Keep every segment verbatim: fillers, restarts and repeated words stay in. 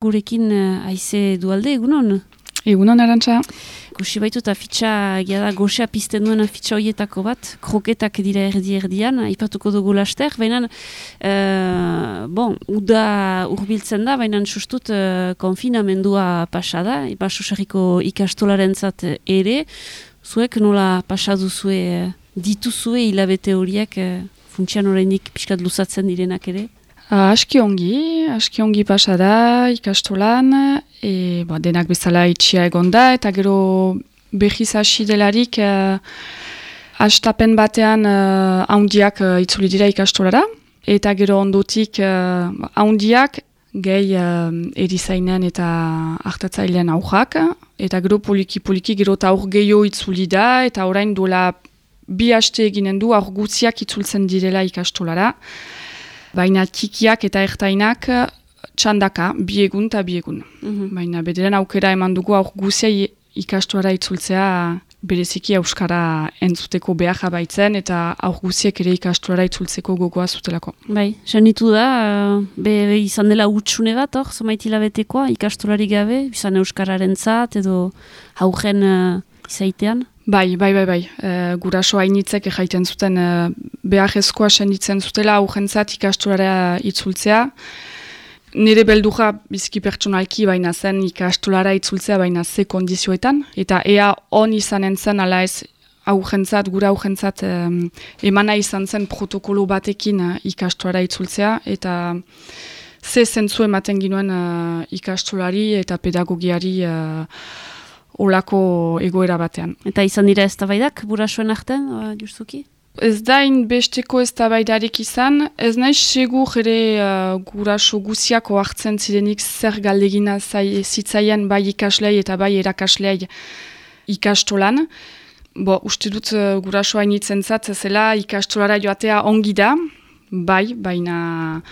Gurekin uh, aize dualde, egunon? Egunon, Arantxa. Goxe baitu eta fitxa, egia da, goxea pizten duena fitxa horietako bat, kroketak dira erdi-erdian, aipatuko dugu laster, baina, uh, bon, uda urbiltzen da, baina sustut uh, konfinamendua pasa da, Basoserriko ikastolarentzat ere, zuek nola pasadu zue, dituzue hilabete horiek, uh, funtsian oraindik pixkat luzatzen direnak ere? Aski ongi, aski ongi pasa da ikastolan, e, ba, denak bezala itxia egon da, eta gero behiz hasi delarik uh, hastapen batean uh, haundiak uh, itzuli dira ikastolara, eta gero ondotik uh, haundiak gehi uh, erizainen eta hartatzailean aurrak, eta gero poliki-poliki gero eta aur gehiago itzuli da, eta orain duela bi haste eginen du aur gutziak itzultzen direla ikastolara. Baina txikiak eta ertainak txandaka, biegun eta biegun. Mm-hmm. Baina bederen aukera eman dugu aur guzia ikastolara itzultzea bereziki euskara entzuteko behar baitzen eta aur guziek ere ikastolara itzultzeko gogoa zutelako. Bai, sanitu da, be, be izan dela hutsune bat, hor, zomaitila betekoa, ikastolari gabe, izan euskararen zat edo haugen uh, izaitean? Bai, bai, bai, bai. E, guraso hainitzek jaiten zuten e, behar ezkoa senditzen zutela aurrentzat ikastolara itzultzea. Nire beldurra biziki pertsonalki baina zen ikastolara itzultzea baina ze kondizioetan. Eta ea on izanen zen ala ez aurrentzat, gura aurrentzat e, emana izan zen protokolo batekin e, ikastolara itzultzea. Eta ze zentzu ematen ginuen e, ikastolari eta pedagogiari e, olako egoera batean. Eta izan dira eztabaidak burasoen artean, uh, justuki? Ez da inbesteko eztabaidarik izan, ez nahi segur ere uh, guraso guziako hartzen zirenik zer galdegina zai, zitzaien bai ikaslei eta bai erakaslei ikastolan. Bo, uste dut uh, guraso hainitzen zat, zela ikastolara joatea ongi da, bai, baina...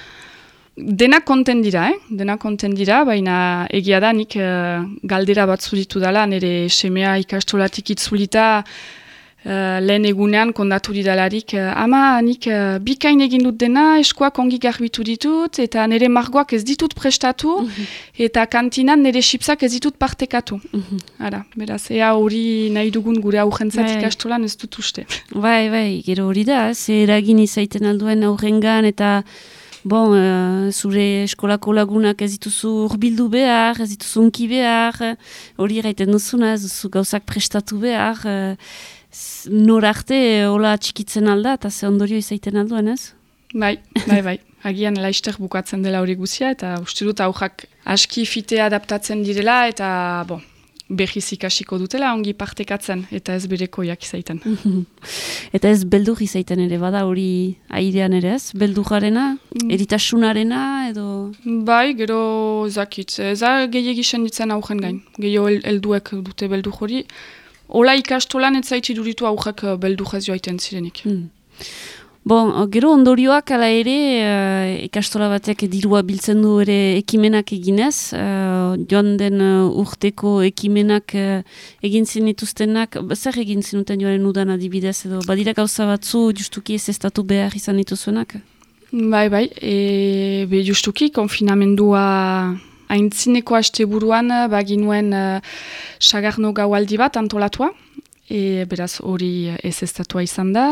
Dena konten dira, eh? Dena konten dira, baina egia da nik uh, galdera bat zuritu dela, nire semea ikastolatik itzulita uh, lehen egunean kondatu didalarik, uh, ama nik uh, bikain egin dut dena, eskuak ongi garbitu ditut, eta nire margoak ez ditut prestatu, mm-hmm. eta kantinan nire chipsak ez ditut partekatu. Mm-hmm. Ara, beraz, ea hori nahi dugun gure aurrentzat ikastolan ez dut uste. Bai, bai, gero hori da, ze eragin izaiten alduen aurrengan, eta... Bon, uh, zure eskolako lagunak ez dituzu urbildu behar, ez dituzu unki behar, hori gaiten duzuna, ez duzu gauzak prestatu behar, uh, nor arte hola txikitzen alda, eta ze ondorio izaiten alduen, ez? Bai, bai, bai. Agian laister bukatzen dela hori guzia, eta uste dut aurrak aski fite adaptatzen direla, eta bon, behiz ikasiko dutela ongi partekatzen, eta ez berekoiak izaiten. Eta ez beldur izaiten ere, bada hori airean ere ez? Beldurgarena, eritasunarena, edo... Bai, gero zakit, ez da gehiagi senditzen aurren gain. Gehiago helduek dute beldur hori. Ola ikastolan ez zaitzi duritu aurrak beldurrez joaiten zirenik. Hmm. Bon, gero ondorioak ala ere, uh, ikastola batek dirua biltzen du ere ekimenak eginez, uh, joan den uh, urteko ekimenak uh, egin zinituztenak, zer egin zinuten joaren udan adibidez, edo badira gauza batzu justuki ez estatu behar izan dituzuenak? Bai, bai, e, be justuki konfinamendua aintzineko asteburuan baginuen uh, sagarno gaualdi bat antolatua, E, beraz hori ez estatua izan da,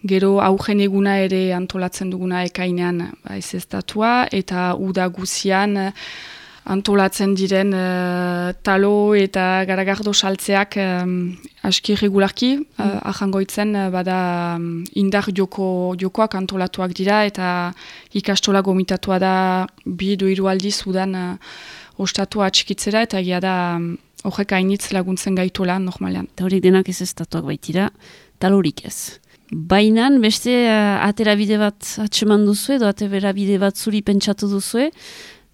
gero augen eguna ere antolatzen duguna ekainean ba, ez estatua, eta uda guzian antolatzen diren uh, talo eta garagardo saltzeak um, aski regularki, mm. uh, ahangoitzen uh, bada um, indar joko, jokoak antolatuak dira, eta ikastola gomitatua da bi edo hiru aldiz udan uh, ostatua atxikitzera, eta egia da... Um, Horrek hainitz laguntzen gaituela, normalean. Eta horiek denak ez estatuak baitira, talorik ez. Bainan, beste uh, atera bide bat atseman duzue, edo atera bide bat zuri pentsatu duzue,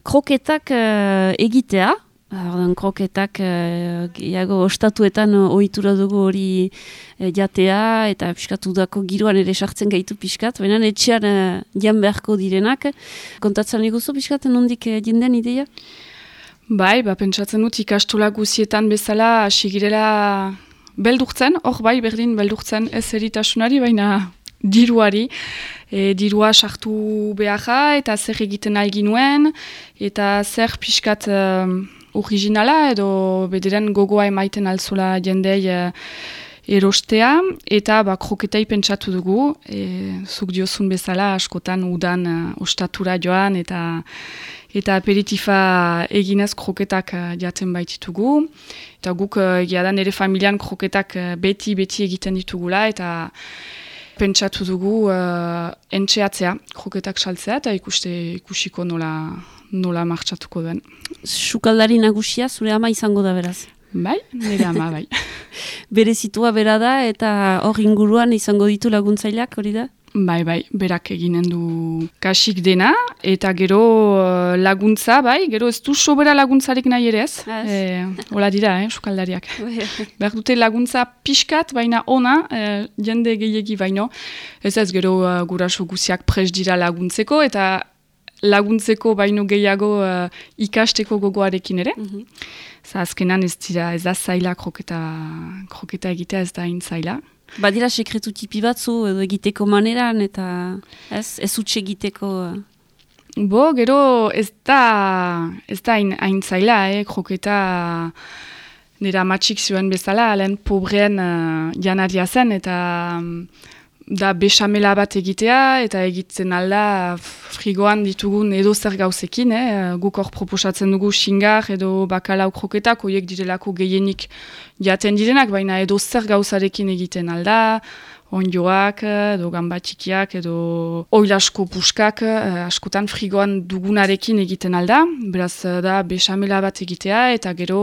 kroketak uh, egitea, ordan kroketak uh, gehiago ostatuetan uh, ohitura dugu hori uh, jatea, eta piskatu dako giroan ere sartzen gaitu piskat, baina etxean uh, jan beharko direnak. Kontatzen iguzu piskat, nondik uh, jinden ideia? Bai, ba, pentsatzen dut ikastola guzietan bezala hasi girela beldurtzen, hor bai berdin beldurtzen ez eritasunari, baina diruari, e, dirua sartu beharra eta zer egiten nahi ginuen, eta zer pixkat um, originala edo bederen gogoa emaiten alzola jendei uh, erostea, eta ba, kroketei pentsatu dugu, e, zuk diozun bezala askotan udan uh, ostatura joan, eta eta aperitifa eginez kroketak uh, jaten baititugu. Eta guk uh, egia da nire familian kroketak uh, beti-beti egiten ditugula, eta pentsatu dugu uh, entxeatzea, kroketak saltzea, eta ikuste ikusiko nola, nola martxatuko duen. Sukaldari nagusia zure ama izango da beraz? Bai, nire ama, bai. Berezitua bera da, eta hor inguruan izango ditu laguntzaileak, hori da? Bai, bai, berak eginen du kasik dena, eta gero uh, laguntza, bai, gero ez du sobera laguntzarik nahi ere ez. E, hola dira, eh, sukaldariak. Behar dute laguntza pixkat, baina ona, eh, jende gehiegi baino. Ez ez gero uh, guraso guziak pres dira laguntzeko, eta laguntzeko baino gehiago uh, ikasteko gogoarekin ere. Mm -hmm. Za azkenan ez dira, ez da zaila kroketa, kroketa egitea ez da hain zaila. Badira sekretu tipi batzu edo egiteko maneran eta ez, ez utxe egiteko... Bo, gero ez da ez da hain zaila, eh, kroketa nire amatxik zuen bezala, lehen pobreen uh, janaria zen, eta da besamela bat egitea, eta egiten alda frigoan ditugun edo zer gauzekin, eh? Guk hor proposatzen dugu xingar edo bakalau kroketak, horiek direlako gehienik jaten direnak, baina edo zer gauzarekin egiten alda, ondioak, edo gambatikiak, edo oilasko puskak, eh, askotan frigoan dugunarekin egiten alda, beraz da besamela bat egitea, eta gero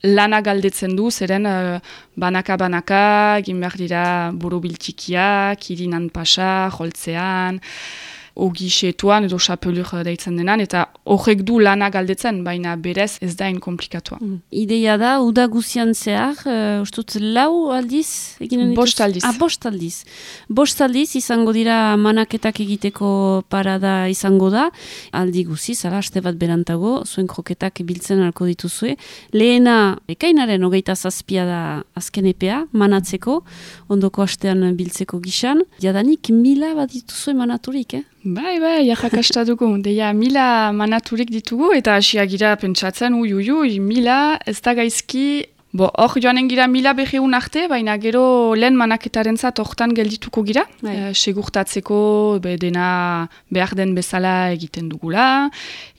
lana galdetzen du, zeren uh, banaka-banaka, egin behar dira borobiltikiak, irinan pasa, joltzean, ogi xetuan edo xapelur deitzen denan, eta horrek du lana galdetzen, baina berez ez da inkomplikatua. Mm. Ideia da, uda guzian zehar, uh, ustut lau aldiz? Bost aldiz. Ah, bost aldiz. Bost aldiz izango dira manaketak egiteko parada izango da, aldi guziz, ala, aste bat berantago, zuen kroketak biltzen alko dituzue. Lehena, ekainaren hogeita zazpia da azken epea, manatzeko, ondoko astean biltzeko gisan. Jadanik mila bat dituzue manaturik, eh? Bai, bai, jarrakasta dugu. Deia, mila manaturik ditugu, eta hasiak gira pentsatzen, ui, ui, ui, mila, ez da gaizki, bo, hor joanen gira mila berreun arte, baina gero lehen manaketaren zat hortan geldituko gira, e, segurtatzeko be, dena behar den bezala egiten dugula,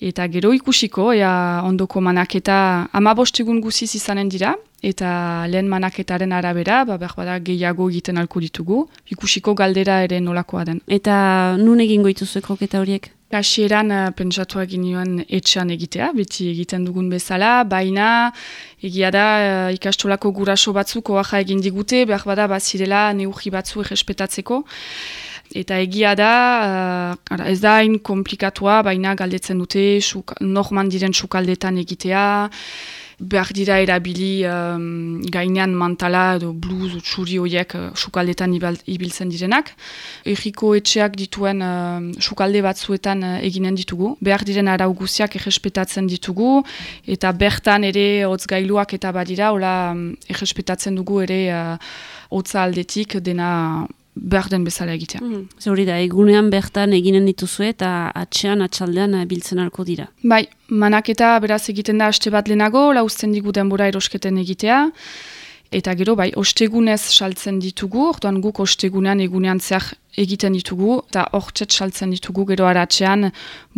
eta gero ikusiko, ea ondoko manaketa amabostegun guziz izanen dira, eta lehen manaketaren arabera, ba, behar bada gehiago egiten alko ditugu, ikusiko galdera ere nolakoa den. Eta nun egingo dituzue kroketa horiek? Hasieran uh, pentsatu egin nioen etxean egitea, beti egiten dugun bezala, baina egia da uh, ikastolako guraso batzuk oaxa egin digute, behar bada bazirela neurri batzu errespetatzeko. Eta egia da, uh, ara, ez da hain komplikatua, baina galdetzen dute suk, norman diren sukaldetan egitea, behar dira erabili um, gainean mantala edo bluz txuri horiek uh, sukaldetan ibiltzen direnak. Erriko etxeak dituen uh, sukalde batzuetan uh, eginen ditugu. Behar diren arau guziak errespetatzen ditugu, eta bertan ere hotzgailuak eta badira, hola um, errespetatzen dugu ere uh, hotza aldetik dena behar den bezala egitea. Mm. Zuri da, egunean bertan eginen dituzue eta atxean, atxaldean biltzen alko dira. Bai, manaketa beraz egiten da aste bat lehenago, lauzten digu denbora erosketen egitea, eta gero bai, ostegunez saltzen ditugu, orduan guk ostegunean egunean zehar egiten ditugu, eta hortxet saltzen ditugu gero aratxean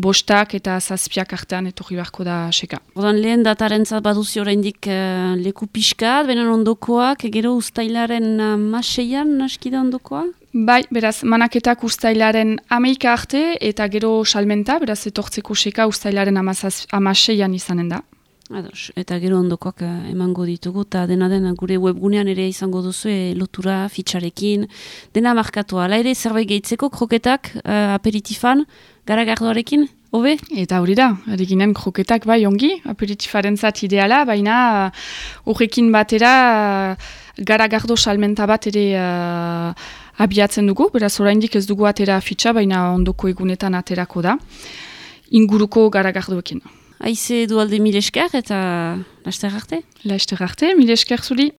bostak eta zazpiak artean etorri beharko da seka. Orduan lehen datarentzat baduzi oraindik uh, leku pixkat, benen ondokoak, gero uztailaren uh, maseian naskida ondokoa? Bai, beraz, manaketak uztailaren ameika arte, eta gero salmenta, beraz, etortzeko seka uztailaren amaseian izanen da. Ados, eta gero ondokoak uh, emango ditugu, eta dena dena gure webgunean ere izango duzu, e, lotura, fitxarekin, dena markatua. Hala ere, zerbait gehitzeko, kroketak, uh, aperitifan, garagardoarekin, hobe? Eta hori da, erikinen kroketak bai ongi, aperitifaren zat ideala, baina horrekin batera uh, garagardo salmenta bat ere uh, abiatzen dugu, beraz oraindik ez dugu atera fitxa, baina ondoko egunetan aterako da, inguruko garagardoekin. Aize dualde mil esker eta laster arte? Laster arte, mil esker zuri.